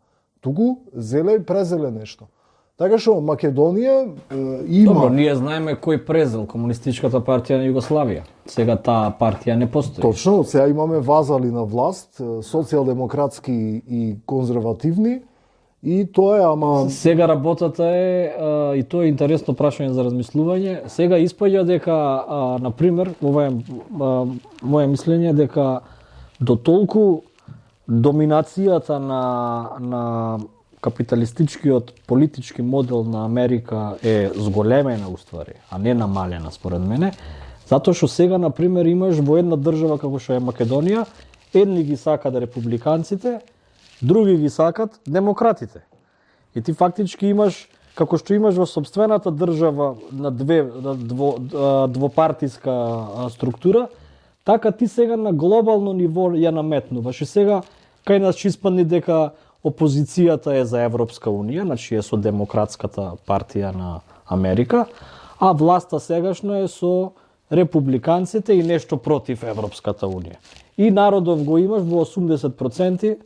Туку зеле и презеле нешто. Така што Македонија е, има... Добро, ние знаеме кој презел Комунистичката партија на Југославија. Сега таа партија не постои. Точно, сега имаме вазали на власт, социјалдемократски и конзервативни, и тоа е, ама... Сега работата е, а, и тоа е интересно прашање за размислување, сега испаѓа дека, а, например, ова е а, моje мислење, дека до толку доминацијата на, на капиталистичкиот политички модел на Америка е зголемена уствари, а не намалена според мене, затоа што сега, например, имаш во една држава како што е Македонија, едни ги сакат републиканците, други ги сакат демократите. И ти фактички имаш, како што имаш во сопствената држава на две на дво, двопартиска структура, така ти сега на глобално ниво ја наметнуваш. И сега кај нас ќе испадне дека опозицијата е за Европска Унија, значи е со демократската партија на Америка, а власта сегашна е со републиканците и нешто против Европската Унија. И народов го имаш во осумдесет проценти,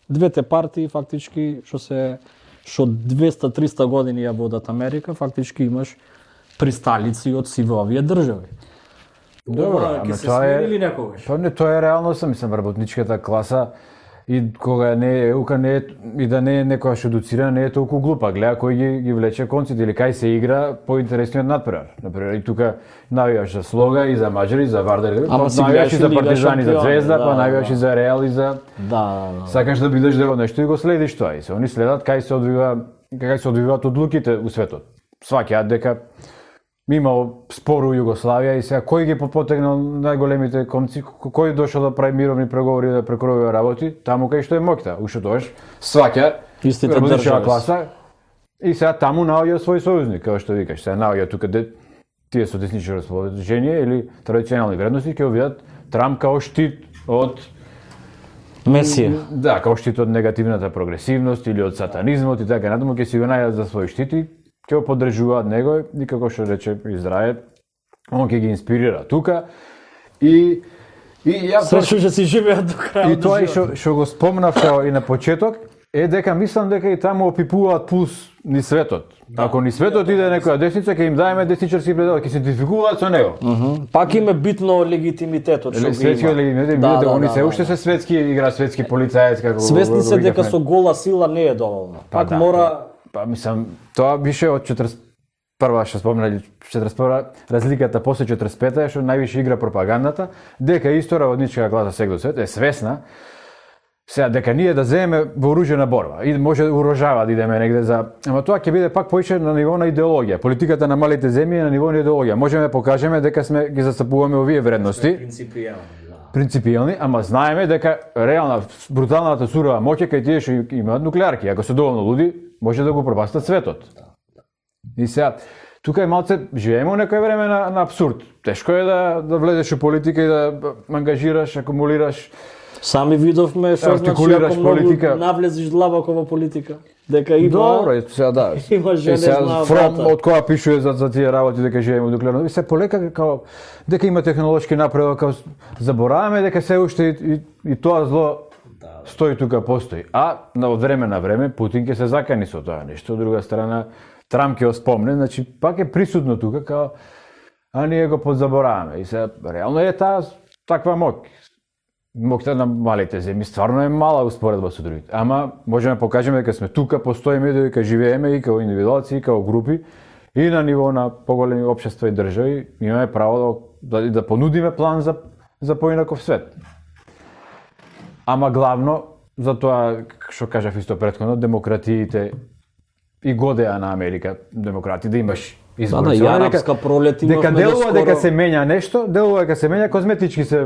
двете партии фактички што се што двеста до триста години ја водат Америка, фактички имаш присталици од сиве овие држави. Добро, ама тоа е некогаш? Тоа не тоа е реалноста, мислам, работничката класа и кога не е ука не е, и да не е некоја што едуцирана, не е толку глупа. Гледа кој ги, ги влече конците или кај се игра поинтересниот надпревар. Например, и тука навиваш за Слога и за Маđари, за Вардар, па навиваш и за Партизан и за Звезда, да, па навиваш да. И за Реал и за... Да, да, да. Сакаш да бидеш дел од нешто и го следиш тоа. И се они следат кај се одвива, кај се одвиваат одлуките у светот. Сваќаат дека имало спор у Југославија и сега кој ги потегнал најголемите комци, кој дошол да прави мировни преговори да прекројува работи, таму кај што е моќта, уште тогаш сваќа работничка класа и сега таму наоѓа свој сојузник, како што викаш, сега наоѓа тука де тие со десничко расположение или традиционални вредности ќе видат Трамп као штит од Месија. Да, као штит од негативната прогресивност или од сатанизмот и така натаму ќе си го најдат за свој штит и ќе го поддржуваат него и како што рече Израел, он ќе ги инспирира тука и и ја Сречу ќе си живеат до крај. И тоа и што што го спомнав и на почеток е дека мислам дека и таму опипуваат пулс ни светот. Да. Ако ни светот иде некоја десница, ќе им даеме десничарски предел, ќе се идентификуваат со него. Uh -huh. Пак им е битно легитимитетот што го има. Светскиот легитимитет, да, да, они да, се уште да, се светски игра, светски полицаец како. Свесни се дека со гола сила не е доволно. Па, Пак да, мора па мислам тоа беше од четиридесет и прва што спомнали четиридесет и прва разликата после четиридесет и пета е што највише игра пропагандата, дека исто работничка класа сега до свет е свесна сега дека ние да земеме вооружена борба и може да урожава да идеме негде за, ама тоа ќе биде пак поише на ниво на идеологија. Политиката на малите земји е на ниво на идеологија. Можеме да покажеме дека сме ги застапуваме овие вредности. Принципијални, да. Принципијални, ама знаеме дека реална бруталната сурова моќ кај тие што имаат нуклеарки. Ако се доволно луди, може да го пропастат светот. И сега тука е малце живееме во некој време на, на абсурд. Тешко е да да влезеш во политика и да ангажираш, акумулираш. Сами видовме што значи ако политика, навлезеш длабоко во политика, дека има. Добро, е сега да. Има женезна фром од која пишува за за тие работи дека живееме во нуклеарно. И се полека како дека има технолошки напредок, како забораваме дека се уште и, и, и тоа зло да, стои тука постои. А на од време на време Путин ќе се закани со тоа нешто. Од друга страна Трамп ќе оспомне, значи пак е присутно тука како а ние го подзабораваме. И се реално е таа таква моќ. Моќта на малите земји стварно е мала успоредба со другите. Ама можеме да покажеме дека сме тука, постоиме, дека живееме и како индивидуалци, и како групи, и на ниво на поголеми општества и држави, имаме право да, да, да понудиме план за, за поинаков свет. Ама главно, за тоа, што кажав исто претходно, демократиите и годеа на Америка, демократи, да имаш избори. Да, да, арапска пролет имавме дека делува доскоро... дека се менја нешто, делува дека се менја козметички се,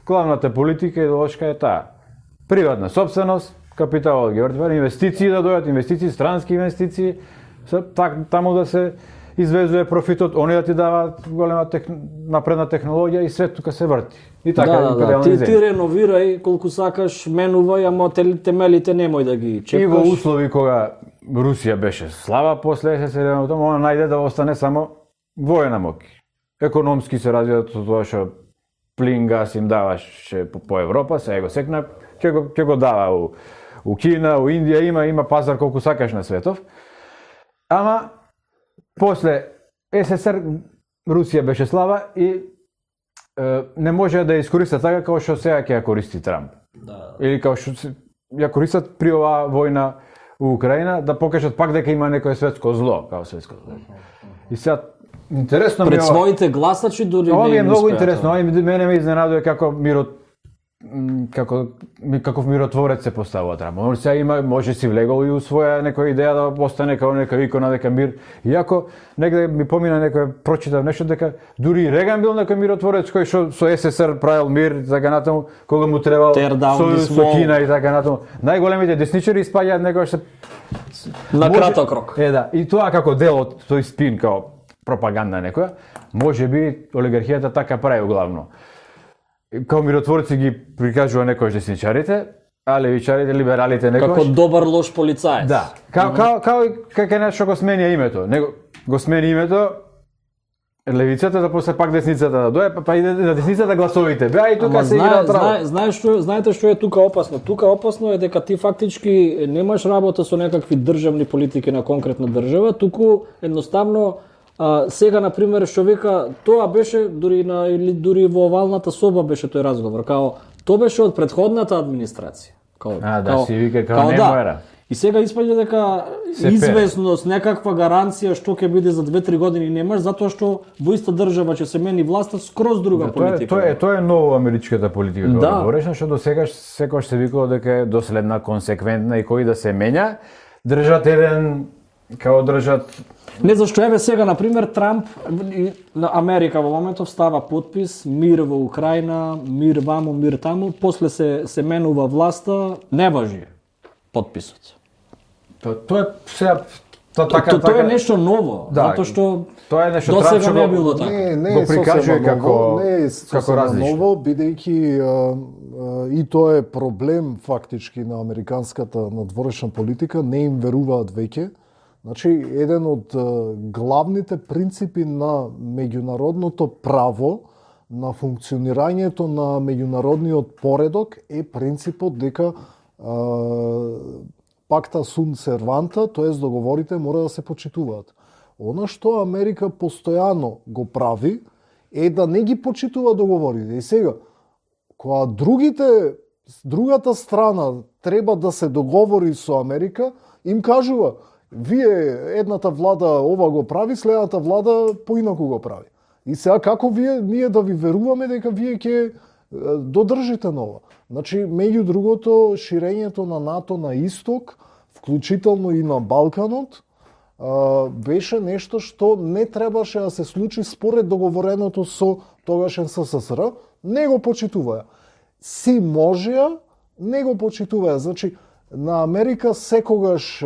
главната политика и идеолошка е таа. Приватна собственост, капиталот ги вртва, инвестиции да дојдат, инвестиции, странски инвестиции, так, таму да се извезува профитот, они да ти даваат голема тех... напредна технологија и свет тука се врти. И така, да, да, да. Ти, ти реновирај колку сакаш, менувај, ама темелите немој да ги чепкаш. И во услови кога Русија беше слаба после СССР, она најде да остане само воена моќ. Економски се развија тоа што плин, газ им даваше по, по Европа, сега го секна, ќе го, ќе го дава у, у Кина, у Индија, има има пазар колку сакаш на светов. Ама после СССР Русија беше слаба и е, не може да ја искориста така како што сега ќе ја користи Трамп. Да. Или како што ја користат при оваа војна у Украина да покажат пак дека има некое светско зло, како светско зло. И сега интересно пред ми своите гласачи дури ова не ми е многу успеа, интересно, ова мене ме изненадува како мирот како каков миротворец се поставува Трамп. Он сега има може си влегол и у своја некоја идеја да остане како некоја икона дека мир. Иако негде ми помина некој прочитав нешто дека дури Реган бил некој миротворец кој што со СССР правил мир така натаму кога му требал со, со Кина и така натаму. Најголемите десничари испаѓаат некој се на краток рок. Е да, и тоа како дел од тој спин како пропаганда некоја, може би олигархијата така прави главно. Као миротворци ги прикажува некојаш десничарите, а левичарите, либералите некојаш. Како добар лош полицаец. Да. Као као као како нешто го смени името. Него го смени името левицата, да после пак десницата да дојде, па иде на десницата гласовите. Беа и тука се игра право. Знае, знаеш што, знаете што е тука опасно? Тука опасно е дека ти фактички немаш работа со некакви државни политики на конкретна држава, туку едноставно А, сега, например, што вика, тоа беше, дури, на, или дури во овалната соба беше тој разговор, као, тоа беше од претходната администрација. Као, а, да, као, си вика, као, као не да. мора. И сега испаѓа дека известност, некаква гаранција што ќе биде за две-три години немаш, затоа што во иста држава ќе се мени власта скроз друга да, политика. Тоа е, тоа е ново америчката политика, да. Тоа говореше, што до сега секој се викало дека е доследна, консеквентна и кој да се менја, држат еден као држат. Не, зашто еве сега, например, Трамп на Америка во моментов става подпис, мир во Украина, мир ваму, мир таму, после се, се менува власта, не важи подписот. То, то е сега то, така, то, то, така, е нешто ново, да, затоа што тоа е нешто досега не го, било така. Не, не го е прикажува сосема како ново, не е како сосема различно. ново, бидејќи а, а, и тоа е проблем фактички на американската надворешна политика, не им веруваат веќе. Значи, еден од а, главните принципи на меѓународното право, на функционирањето на меѓународниот поредок е принципот дека а, пакта сун серванта, тоест договорите мора да се почитуваат. Она што Америка постојано го прави е да не ги почитува договорите. И сега, кога другите, другата страна треба да се договори со Америка, им кажува, вие едната влада ова го прави, следната влада поинаку го прави. И сега како вие ние да ви веруваме дека вие ќе додржите на ова? Значи, меѓу другото, ширењето на НАТО на исток, вклучително и на Балканот, беше нешто што не требаше да се случи според договореното со тогашен СССР, не го почитуваја. Си можеа, не го почитуваја. Значи, на Америка секогаш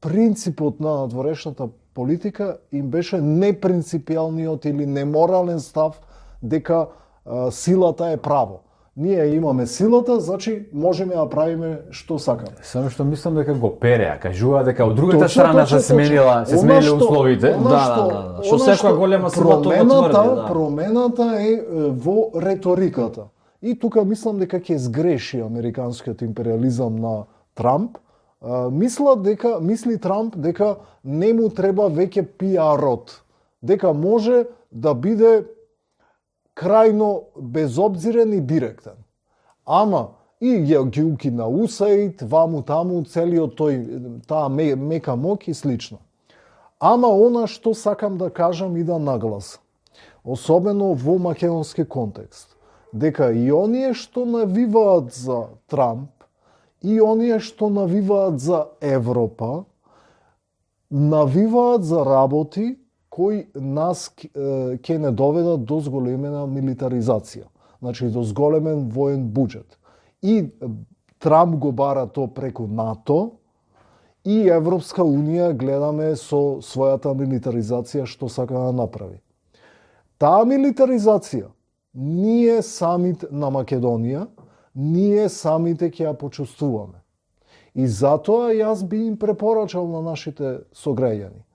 принципот на надворешната политика им беше непринципијалниот или неморален став дека а, силата е право. Ние имаме силата, значи можеме да правиме што сакаме. Само што мислам дека го переа, кажува дека од другата Точно, страна точно, се сменила, точно. се смениле Она што- условите. она Да, што- да, да, што она секоја што голема сила тоа го промената, тврди, да. промената е е, во реториката. И тука мислам дека ќе сгреши американскиот империализам на Трамп. А, мисла дека мисли Трамп дека не му треба веќе пиарот, дека може да биде крајно безобзирен и директен. Ама и ја ги укина УСАИД, ваму таму, целиот тој таа мека моќ и слично. Ама она што сакам да кажам и да нагласам, особено во македонски контекст, дека и оние што навиваат за Трамп, и оние што навиваат за Европа, навиваат за работи кои нас ќе не доведат до зголемена милитаризација, значи до зголемен воен буџет. И Трамп го бара то преку НАТО, и Европска Унија гледаме со својата милитаризација што сака да направи. Таа милитаризација ние самите на Македонија, ние самите ќе ја почувствуваме. И затоа јас би им препорачал на нашите сограѓани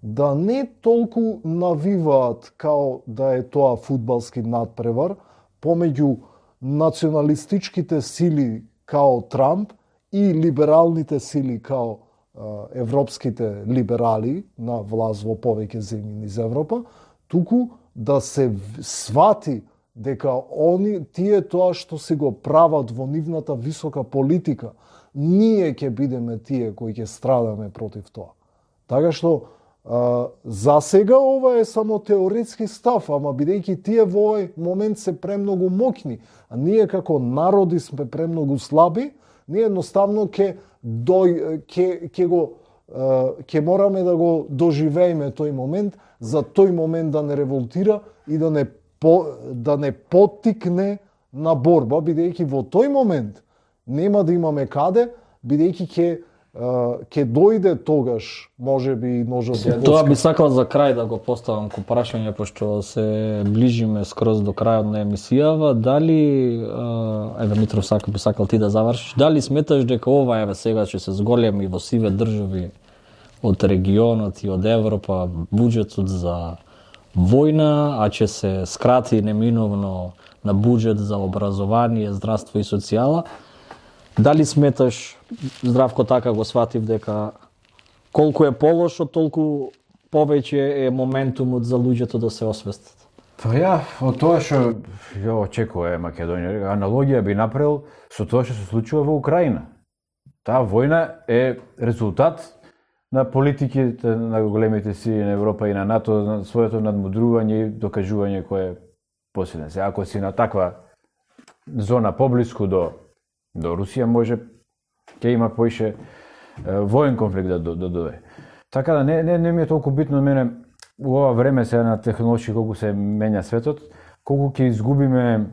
да не толку навиваат као да е тоа фудбалски надпревар помеѓу националистичките сили као Трамп и либералните сили као а, европските либерали на власт во повеќе земји низ Европа, туку да се свати дека они тие тоа што си го прават во нивната висока политика, ние ќе бидеме тие кои ќе страдаме против тоа. Така што а, за сега ова е само теоретски став, ама бидејќи тие во овој момент се премногу моќни, а ние како народи сме премногу слаби, ние едноставно ќе дој ќе ќе го ќе мораме да го доживееме тој момент, за тој момент да не револтира и да не по, да не поттикне на борба, бидејќи во тој момент нема да имаме каде, бидејќи ќе ќе дојде тогаш, можеби и ножот до Тоа би сакал за крај да го поставам ко прашање, пошто се ближиме скроз до крајот на емисијава, дали, еве Митров сака би сакал ти да завршиш, дали сметаш дека ова еве сега ќе се зголеми во сиве држави од регионот и од Европа буџетот за војна, а ќе се скрати неминовно на буџет за образование, здравство и социјала? Дали сметаш, Здравко така го сватив, дека колку е полошо, толку повеќе е моментумот за луѓето да се освестат? Па ја, од тоа што ја очекува Македонија, аналогија би направил со тоа што се случува во Украина. Таа војна е резултат на политиките на големите сили на Европа и на НАТО, на своето надмудрување и докажување кој е посилен. Се, ако си на таква зона поблиску до до Русија, може ќе има поише воен конфликт да додое. Така да не не не ми е толку битно мене у ова време сега на технолошки колку се менја светот, колку ќе изгубиме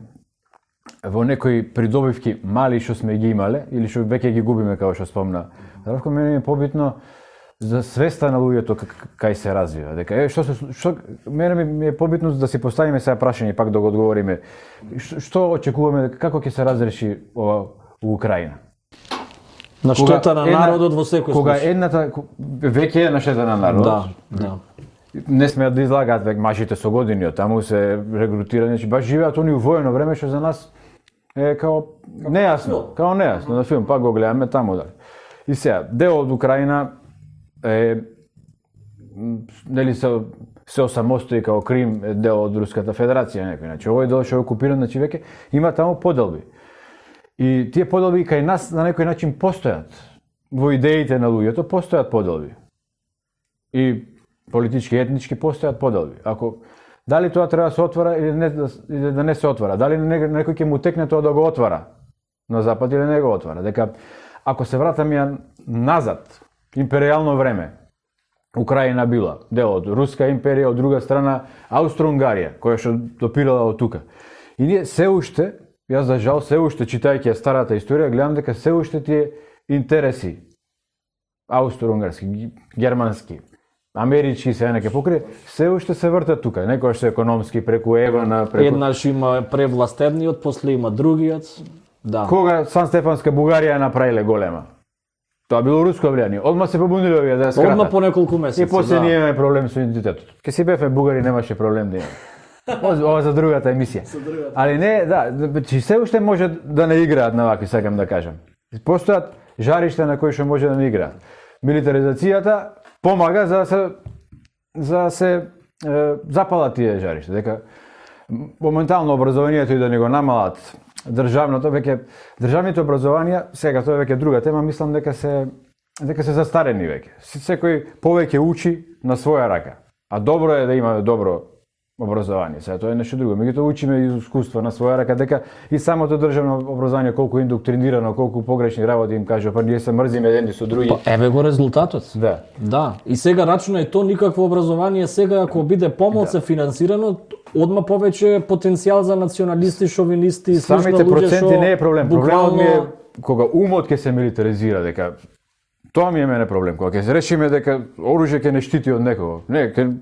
во некои придобивки мали што сме ги имале или што веќе ги губиме како што спомна. Здравко, мене ми е побитно за свеста на луѓето кај се развива. Дека е што се што мене ми е побитно да си поставиме сега прашање пак да го одговориме. Што очекуваме, како ќе се разреши ова у Украина? На штета на народот во секој случај. Кога едната веќе е на штета на народот. Да, да. Не смеат да излагаат веќе машите со години, од таму се регрутираат, значи баш живеат они у воено време што за нас е као нејасно, као нејасно на филм, пак го гледаме таму дали. И сега, дел од Украина е нели се се осамостои као Крим е дел од Руската Федерација некој, значи овој дел што е окупиран, значи веќе има таму поделби. И тие поделби кај нас на некој начин постојат. Во идеите на луѓето постојат поделби. И политички, етнички постојат поделби. Ако дали тоа треба да се отвора или не или да не се отвора, дали некој ќе му текне тоа да го отвора на запад или не го отвара. Дека ако се вратаме ја назад, империјално време, Украина била дел од Руска империја, од друга страна Аустро-Унгарија, која што допирала од тука. И ние се уште, јас за жал се уште читајќи ја старата историја, гледам дека се уште тие интереси аустро-унгарски, германски, амерички се неке покри, се уште се вртат тука, некој што економски преку Евана, преку Еднаш има превласт едниот, после има другиот. Да. Кога Сан Стефанска Бугарија направиле голема. Тоа било руско влијание. Одма се побуниле овие да скратат. Одма по неколку месеци. И после да. ние имаме проблем со идентитетот. Ке си бевме бугари, немаше проблем да имаме. Ова за другата емисија. Али не, да, че се уште може да не играат на вакви, сакам да кажам. Постојат жаришта на кои што може да не играат. Милитаризацијата помага за да се за да се е, запалат тие жаришта. Дека моментално образованието и да не го намалат државното, веќе државните образованија, сега тоа е веќе друга тема, мислам дека се дека се застарени веќе. Секој повеќе учи на своја рака. А добро е да има добро образование. Сега тоа е нешто друго. Меѓутоа учиме и искуство на своја рака, дека и самото државно образование колку индоктринирано, колку погрешни работи им кажува, па ние се мрзиме едни со други. Па еве го резултатот. Да. Да. И сега рачунај то никакво образование сега ако биде помалку да. финансирано, одма повеќе потенцијал за националисти, шовинисти, самите проценти шо, не е проблем. буквално... Проблемот ми е кога умот ќе се милитаризира, дека тоа ми е мене проблем. Кога ќе се решиме дека оружје ќе не штити од некого. Не, ќе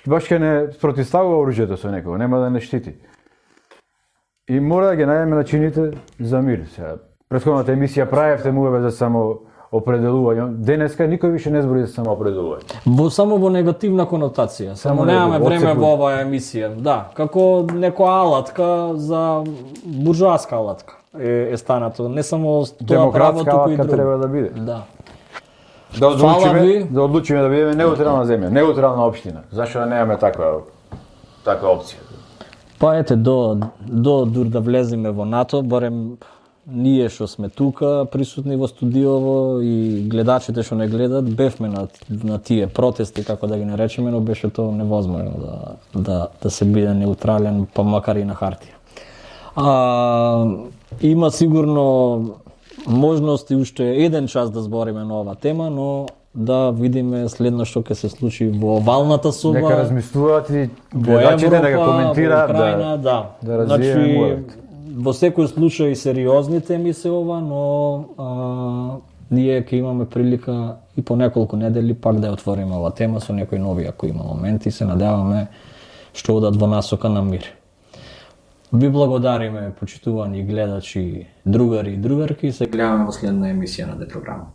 баш ќе не спротивставува оружјето со некого, нема да не штити. И мора да ги најдеме начините за мир. Сега, претходната емисија правевте муеве за само определување. Денеска никој више не збори за само определување. Во само во негативна конотација. Само, само немаме време во оваа емисија. Да, како некоја алатка за буржоаска алатка е, е станато. Не само тоа право, туку и друго. треба да биде. Да. Да одлучиме, да одлучиме да бидеме неутрална земја, неутрална општина. Зашто да немаме таква таква опција? Па ете до до дур да влеземе во НАТО, барем ние што сме тука присутни во студиово и гледачите што не гледат, бевме на на тие протести, како да ги наречеме, но беше тоа невозможно да да да се биде неутрален, па макар и на хартија. А има сигурно можности уште еден час да збориме на оваа тема, но да видиме следно што ќе се случи во овалната соба. Нека размислуваат и гледачите да го коментираат, во Украина, да. Да, да развиеме значи, во секој случај сериозни теми се ова, но а, ние ќе имаме прилика и по неколку недели пак да ја отвориме оваа тема со некои нови, ако има моменти, се надеваме што одат во насока на мир. Ви благодариме, почитувани гледачи, другари и другарки, се гледаме во следна емисија на Де програма.